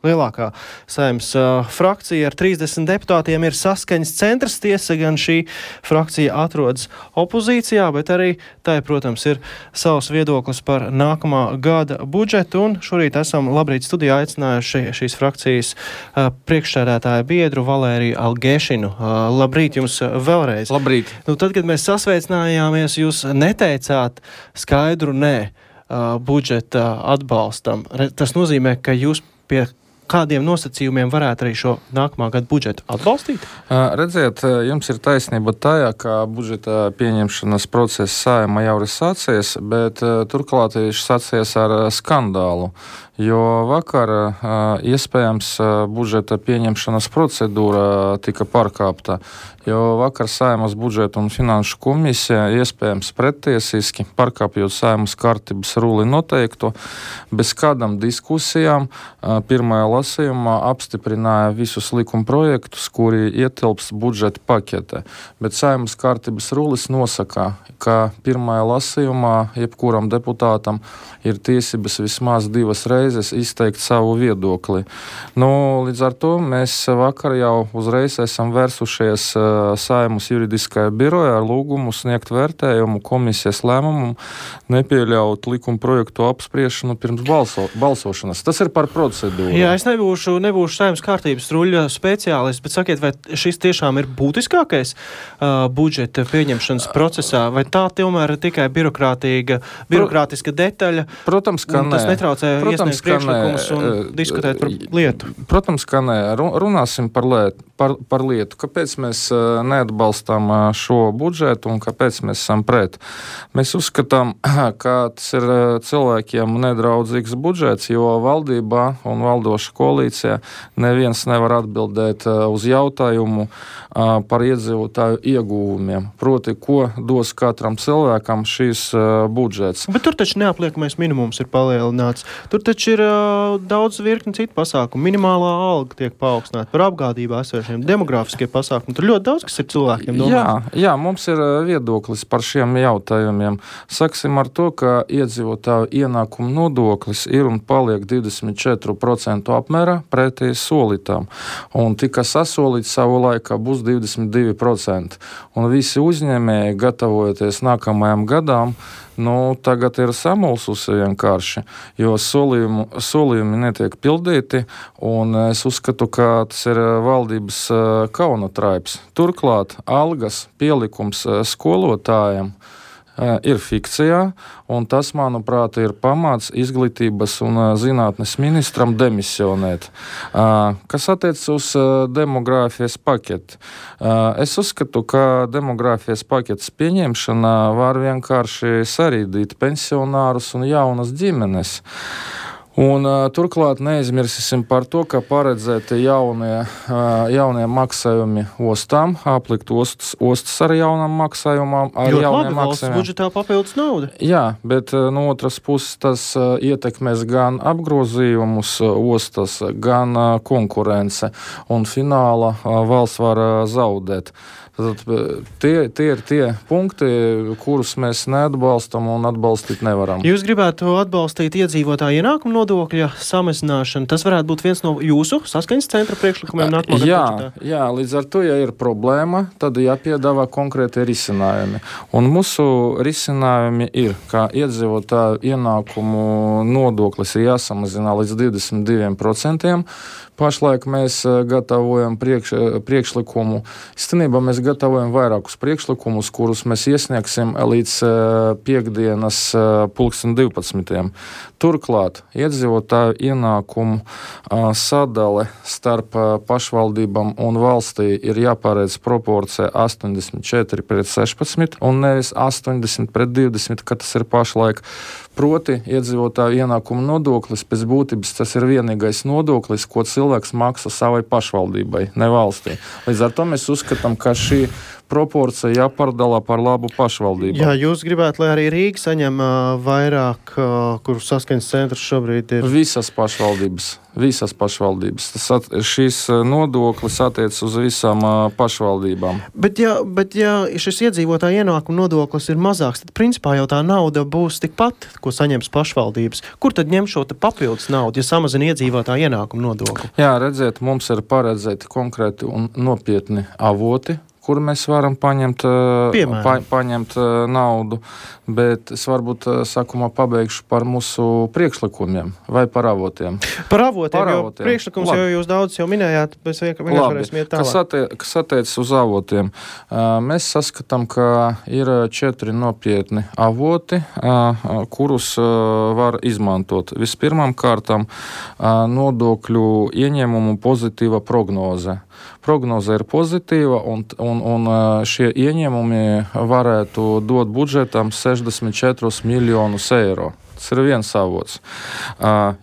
Lielākā Saeimas frakcija ar 30 deputātiem ir Saskaņas centrs. Tiesa gan šī frakcija atrodas opozīcijā, bet arī tai, protams, ir savs viedoklis par nākamā gada budžetu. Un šorīt esam Labrīt studijā aicinājuši šīs frakcijas priekšsēdētāja biedru Valēriju Algēšinu. Labrīt jums vēlreiz. Labrīt. Tad, kad mēs sasveicinājāmies, jūs neteicāt skaidru nē budžeta atbalstam. Tas nozīmē, ka jūs pie kādiem nosacījumiem varētu arī šo nākamā gada budžetu atbalstīt? Redziet, jums ir taisnība tajā, ka budžeta pieņemšanas process Saeimā jau ir sācies, bet turklāt viņš sācies ar skandālu, jo vakar iespējams budžeta pieņemšanas procedūra tika pārkāpta, jo vakar Saeimas budžeta un finanšu komisija iespējams prettiesiski pārkāpjot Saeimas kārtības ruli noteikto, bez kādām diskusijām pirmajā lasījumā apstiprināja visus likuma projektus, kuri ietilps budžeta paketē. Bet Saeimas kārtības rulis nosaka, ka pirmajā lasījumā jebkuram deputātam ir tiesības vismaz 2 reizes izteikt savu viedokli. Līdz ar to mēs vakar jau uzreiz esam vērsušies Saeimas juridiskajā birojā ar lūgumu sniegt vērtējumu komisijas lēmumu nepieļaut likuma projektu apspriešanu pirms balsošanas. Tas ir par procedūru. Jā, es nebūšu Saeimas kārtības ruļa speciālists, bet sakiet, vai šis tiešām ir būtiskākais budžeta pieņemšanas procesā, vai tā tomēr ir tikai birokrātiska detaļa? Protams, ka tas netraucē iesniegt priekšlikumus un diskutēt par lietu. Protams, ka nē. Runāsim par lietu. Kāpēc mēs neatbalstām šo budžetu un kāpēc mēs esam pret? Mēs uzskatām, ka tas ir cilvēkiem nedraudzīgs budžets, jo valdībā un valdoša koalīcijā neviens nevar atbildēt uz jautājumu par iedzīvotāju ieguvumiem. Proti, ko dos katram cilvēkam šīs budžets. Bet tur taču neapliekamais minimums ir palielināts. Tur taču ir daudz virkni citu pasākumu. Minimālā alga tiek paaugstināta par apgādību esošiem, demogrāfiskie pasākumi. Tur ļoti daudz, kas ir cilvēkiem domāts. Jā, mums ir viedoklis par šiem jautājumiem. Saksim ar to, ka iedzīvotāju ienākumu nodoklis ir un paliek 24% apmērā pretī solītām. Un tika sasolīts savu laikā būs 22%. Un visi uzņēmēji, gatavojoties nākamajām gadām, tagad ir samulsusi vienkārši, jo solījumi netiek pildīti, un es uzskatu, ka tas ir valdības kaunatraips. Turklāt algas pielikums skolotājiem ir fikcijā, un tas, manuprāt, ir pamats izglītības un zinātnes ministram demisionēt. Kas attiecas uz demogrāfijas paketi? Es uzskatu, ka demogrāfijas paketes pieņemšana var vienkārši sarīdīt pensionārus un jaunas ģimenes. Un turklāt neaizmirsīsim par to, ka paredzēti jaunie maksājumi ostām, aplikt ostas ar jaunām maksājumām, ar jauniem maksājumiem. Budžetā papildus nauda. Jā, bet no otras puses tas ietekmēs gan apgrozījumus ostas, gan konkurence, un fināla valsts var zaudēt. Tie ir tie punkti, kurus mēs neatbalstam un atbalstīt nevaram. Jūs gribētu atbalstīt iedzīvotāju ienākumu nodokļa samazināšanu. Tas varētu būt viens no jūsu Saskaņas centra priekšlikumiem nākamā gada budžetā? Jā, līdz ar to, ja ir problēma, tad jāpiedāvā konkrēti risinājumi. Un mūsu risinājumi ir, ka iedzīvotāju ienākumu nodoklis ir jāsamazina līdz 22%. Pašlaik mēs gatavojam priekšlikumu. Īstenībā mēs gatavojam vairākus priekšlikumus, kurus mēs iesniegsim līdz piektdienas 12:00. Turklāt iedzīvotāju ienākumu sadale starp pašvaldībām un valstī ir jāparedz proporcija 84:16 un nevis 80:20, kā tas ir pašlaik. Proti, iedzīvotāju ienākumu nodoklis pēc būtības tas ir vienīgais nodoklis, ko cilvēks maksā savai pašvaldībai, ne valstī. Līdz ar to mēs uzskatām, ka šī proporcija jāpārdala par labu pašvaldību. Jā, jūs gribētu, lai arī Rīga saņem vairāk, kur Saskaņas centrs šobrīd ir? Visas pašvaldības. Visas pašvaldības. Šīs nodoklis attiec uz visām pašvaldībām. Bet ja šis iedzīvotāja ienākuma nodoklis ir mazāks, tad principā jau tā nauda būs tikpat, ko saņems pašvaldības. Kur tad ņem šo papildus naudu, ja samazina iedzīvotāja ienākuma nodokli? Jā, redziet, mums ir paredzēti konkrēti un nopietni avoti, kur mēs varam paņemt naudu, bet es varbūt sākumā pabeigšu par mūsu priekšlikumiem vai par avotiem. Par avotiem, jo priekšlikums jau jūs daudz jau minējāt, mēs vienkārši varēsim iet tālāk. Kas attiecas uz avotiem, mēs saskatām, ka ir 4 nopietni avoti, kurus var izmantot. Vispirmām kārtām nodokļu ieņēmumu pozitīva prognoze. Prognoze ir pozitīva, un šie ieņēmumi varētu dot budžetam 64 miljonus eiro. Tas ir viens avots,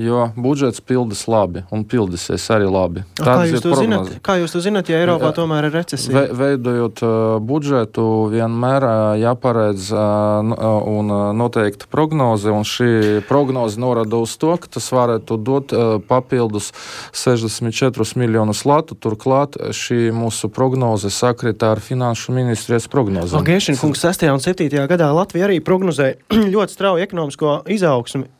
jo budžets pildas labi un pildīsies arī labi. Kā jūs to zināt, ja Eiropā tomēr ir recesija? Veidojot budžetu, vienmēr jāparedz un noteikta prognoze, un šī prognoze norada uz to, ka tas varētu dot papildus 64 miljonus latu. Turklāt šī mūsu prognoze sakritā ar Finanšu ministrijas prognozēm. Gešina kungs 6. un 7. gadā Latvija arī prognozēja ļoti strauju ekonomisko izaugsmi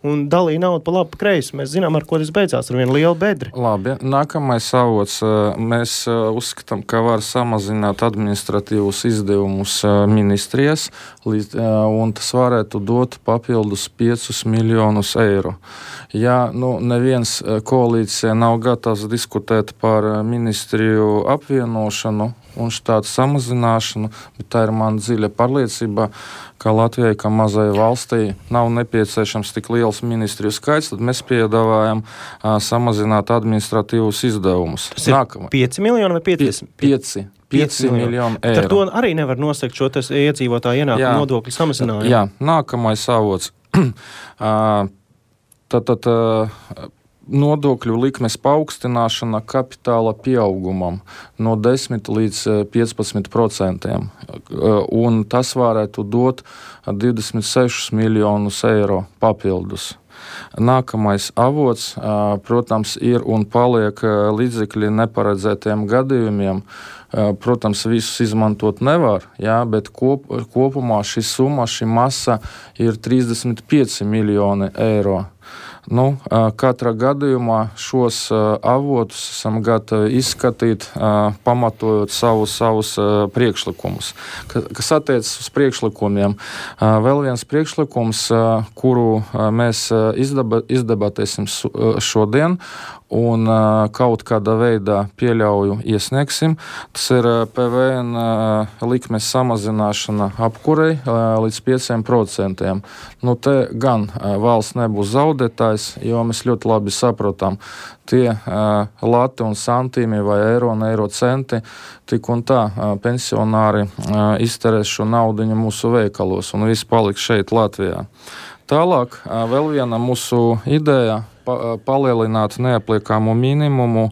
un dalīja naudu pa labi, pa kreisi. Mēs zinām, ar ko tas beidzās, ar vienu lielu bedri. Labi, nākamais avots. Mēs uzskatām, ka var samazināt administratīvus izdevumus ministrijas, un tas varētu dot papildus 5 miljonus eiro. Ja neviens koalīcija nav gatavs diskutēt par ministriju apvienošanu un štātu samazināšanu, bet tā ir man dziļa pārliecība, ka Latvijai, kā mazai valstī, nav nepieciešams tik liels ministriju skaits, tad mēs piedāvājam samazināt administratīvus izdevumus. Tas ir 5 miljoni vai 50? 5 miljoni eiro. Ar to arī nevar nosakt šo iedzīvotāju ienākumu nodokļu samazinājumu. Jā, nākamais avots. Tātad nodokļu likmes paaugstināšana kapitāla pieaugumam no 10 līdz 15%. Un tas varētu dot 26 miljonus eiro papildus. Nākamais avots, protams, ir un paliek līdzekļi neparedzētiem gadījumiem. Protams, visus izmantot nevar, bet kopumā šī summa, šī masa ir 35 miljoni eiro. Katrā gadījumā šos avotus esam gatavi izskatīt, pamatojot savus priekšlikumus. Kas attiecas uz priekšlikumiem, vēl viens priekšlikums, kuru mēs izdebatēsim šodien un kaut kādā veidā pieļauju iesniegsim, tas ir PVN likmes samazināšana apkurei līdz 5%. Te gan valsts nebūs zaudētājs, jo mēs ļoti labi saprotam, tie lati un santīmi vai eiro un eiro centi, tik un tā pensionāri izterēs šo naudiņu mūsu veikalos un viss paliks šeit Latvijā. Tālāk vēl viena mūsu ideja palielināt neapliekamo minimumu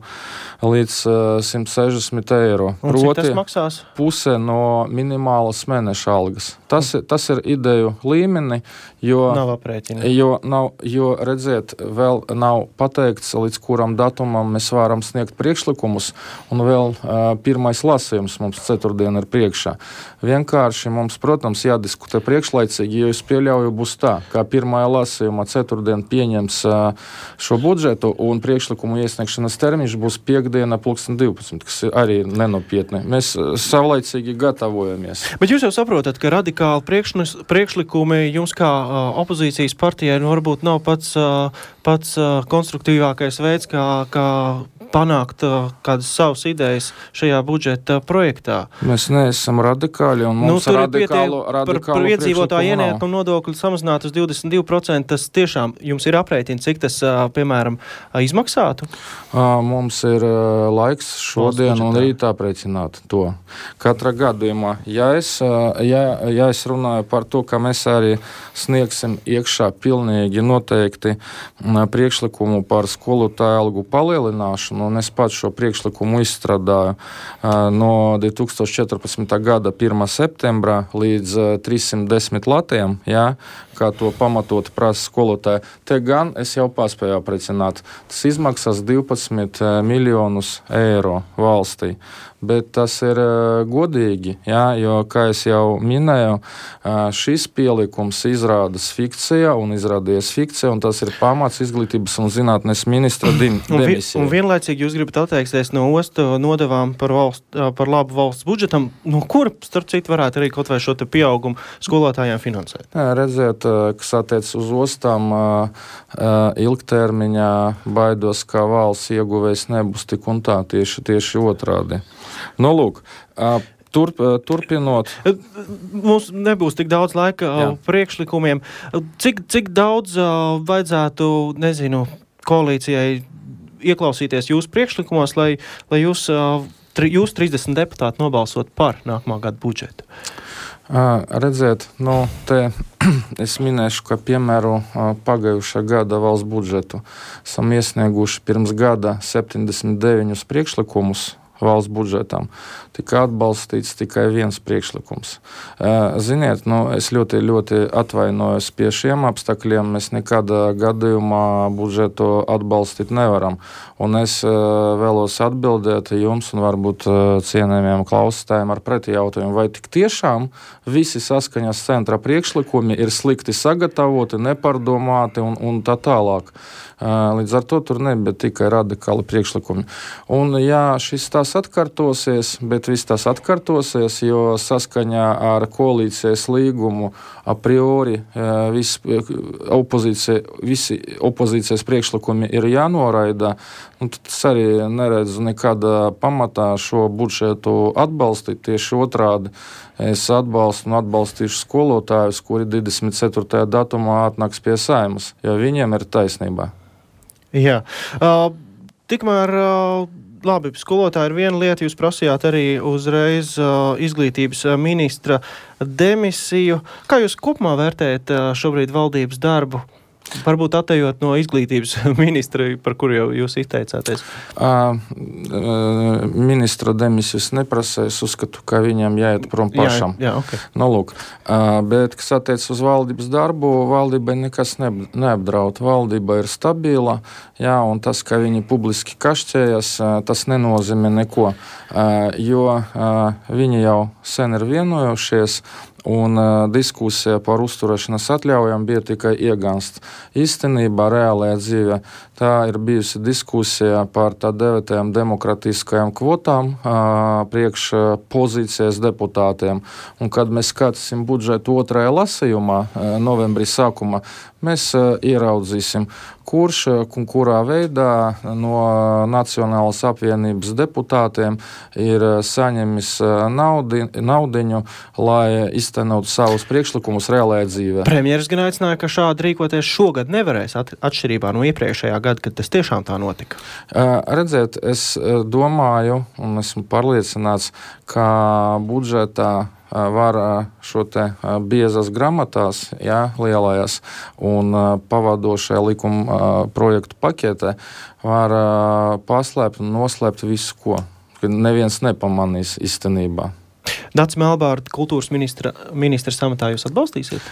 līdz 160 eiro. Cik tas maksās? Puse no minimālas mēneša algas. Tas ir ideju līmeni, jo nav aprēķina. Jo redziet, vēl nav pateikts, līdz kuram datumam mēs varam sniegt priekšlikumus, un vēl pirmais lasījums mums ceturtdien ir priekšā. Vienkārši mums, protams, jādiskutē priekšlaicīgi, jo es pieļauju būs tā, kā pirmajā lasījumā ceturtdien pieņems šo budžetu, un priekšlikumu iesniegšanas termiņš būs piekdiena 12, kas arī ir nenopietni. Mēs savlaicīgi gatavojamies. Bet jūs jau saprotat, ka radikāli priekšlikumi jums kā opozīcijas partijai varbūt nav pats konstruktīvākais veids, kā panākt kādas savas idejas šajā budžeta projektā. Mēs neesam radikāļi, un mums radikālu par iedzīvotāju ienākumu nodokli samazināt uz 22%, tas tiešām jums ir aprēķini, cik tas, piemēram, izmaksātu? Mums ir laiks šodien un rīt aprēķināt to. Katrā gadījumā, ja es runāju par to, ka mēs arī sniegsim iekšā pilnīgi noteikti priekšlikumu par skolotāju algu palielināšanu, un es pats šo priekšlikumu izstrādāju no 2014. gada 1. septembra līdz 310 latiem, jā, kā to pamatot prasa skolotāji. Te gan es jau paspēju aprecināt. Tas izmaksās 12 miljonus eiro valstī. Bet tas ir godīgi, jā, jo, kā es jau minēju, šis pielikums izrādas fikcija un izrādījies fikcija, un tas ir pamats izglītības un zinātnes ministra demisijai. Un vienlaicīgi jūs gribat atteikties no ostu nodevām par labu valsts budžetam, no kura, starp citu, varētu arī kaut vai šo te pieaugumu skolotājiem finansēt? Redziet, kas attiec uz ostām, ilgtermiņā baidos, ka valsts ieguvējs nebūs tik un tā, tieši otrādi. Nu, lūk, turpinot. Mums nebūs tik daudz laika priekšlikumiem. Cik daudz vajadzētu, koalīcijai ieklausīties jūsu priekšlikumos, lai jūs 30 deputāti nobalsot par nākamā gada budžetu? Redziet, te es minēšu, ka piemēru pagājušā gada valsts budžetu esam iesnieguši pirms gada 79 priekšlikumus valsts budžetam. Tika atbalstīts tikai viens priekšlikums. Ziniet, es ļoti, ļoti atvainojos pie šiem apstākļiem. Mēs nekādā gadījumā budžetu atbalstīt nevaram. Un es vēlos atbildēt jums un varbūt cienējamiem klausītājiem ar pretijautājumu, vai tik tiešām visi saskaņas centra priekšlikumi ir slikti sagatavoti, nepārdomāti un tā tālāk. Līdz ar to tur nebija tikai radikāli priekšlikumi. Un jā, šis tās atkārtosies, bet viss tas atkārtosies, jo saskaņā ar koalīcijas līgumu a priori visi opozīcijas priekšlikumi ir jānoraida. Tad es arī neredzu nekādā pamatā šo budžetu atbalstīt. Tieši otrādi es atbalstu un atbalstīšu skolotājus, kuri 24. datumā atnāks pie Saeimas, jo viņiem ir taisnība. Jā. Tikmēr, labi, skolotāji ir viena lieta, jūs prasījāt arī uzreiz izglītības ministra demisiju. Kā jūs kopumā vērtējat šobrīd valdības darbu? Varbūt attējot no izglītības ministra, par kuru jau jūs izteicāties. Ministra demisijas neprasa, es uzskatu, ka viņam jāiet prom pašam. Jā, okay. Lūk, bet, kas attiec uz valdības darbu, valdībai nekas neapdraud. Valdība ir stabila, jā, un tas, ka viņi publiski kašķējas, tas nenozīmē neko, jo viņi jau sen ir vienojušies, un diskusija par uzturēšanas atļaujām bija tikai iegansts. Īstenībā reālajā dzīvē tā ir bijusi diskusija par tā dēvētajām demokratiskajām kvotām priekš pozīcijas deputātiem. Un kad mēs skatīsim budžetu otrajā lasījumā, novembrī sākumā, mēs ieraudzīsim, kurš un kurā veidā no Nacionālas apvienības deputātiem ir saņemis naudiņu, lai iztenotu savus priekšlikumus reālajā dzīvē. Premjeras gan aicināja, ka šādi rīkoties šogad nevarēs atšķirībā no iepriekšējā gada, kad tas tiešām tā notika. Redziet, es domāju un esmu pārliecināts, ka budžetā var šo te biezas gramatās, jā, lielajās un pavadošajā likuma projektu paketē var paslēpt un noslēpt visu, ko neviens nepamanīs īstenībā. Dats Melbārda, kultūras ministra samatā jūs atbalstīsiet?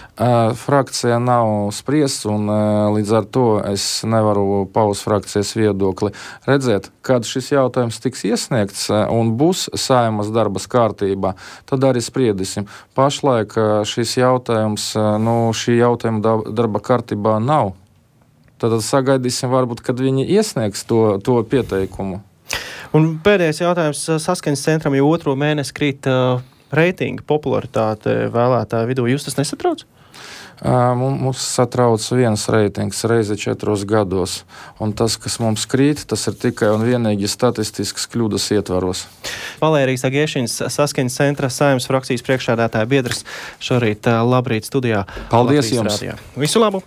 Frakcija nav spriests, un līdz ar to es nevaru paust frakcijas viedokli. Redziet, kad šis jautājums tiks iesniegts un būs Saeimas darbas kārtībā, tad arī spriedīsim. Pašlaik šis jautājums, šī jautājuma darba kārtībā nav. Tad sagaidīsim varbūt, kad viņi iesniegs to pieteikumu. Un pēdējais jautājums saskaņas centram jau otro mēnesi krīt reitinga popularitāte vēlētāju vidū. Jūs tas nesatrauc? Mums satrauc viens reitings reizi 4 gados. Un tas, kas mums krīt, tas ir tikai un vienīgi statistiskas kļūdas ietvaros. Valērijas Agiešiņas saskaņas centra Saeimas frakcijas priekšsēdētāja biedrs šorīt labrīt studijā. Paldies jums! Rādījā. Visu labu!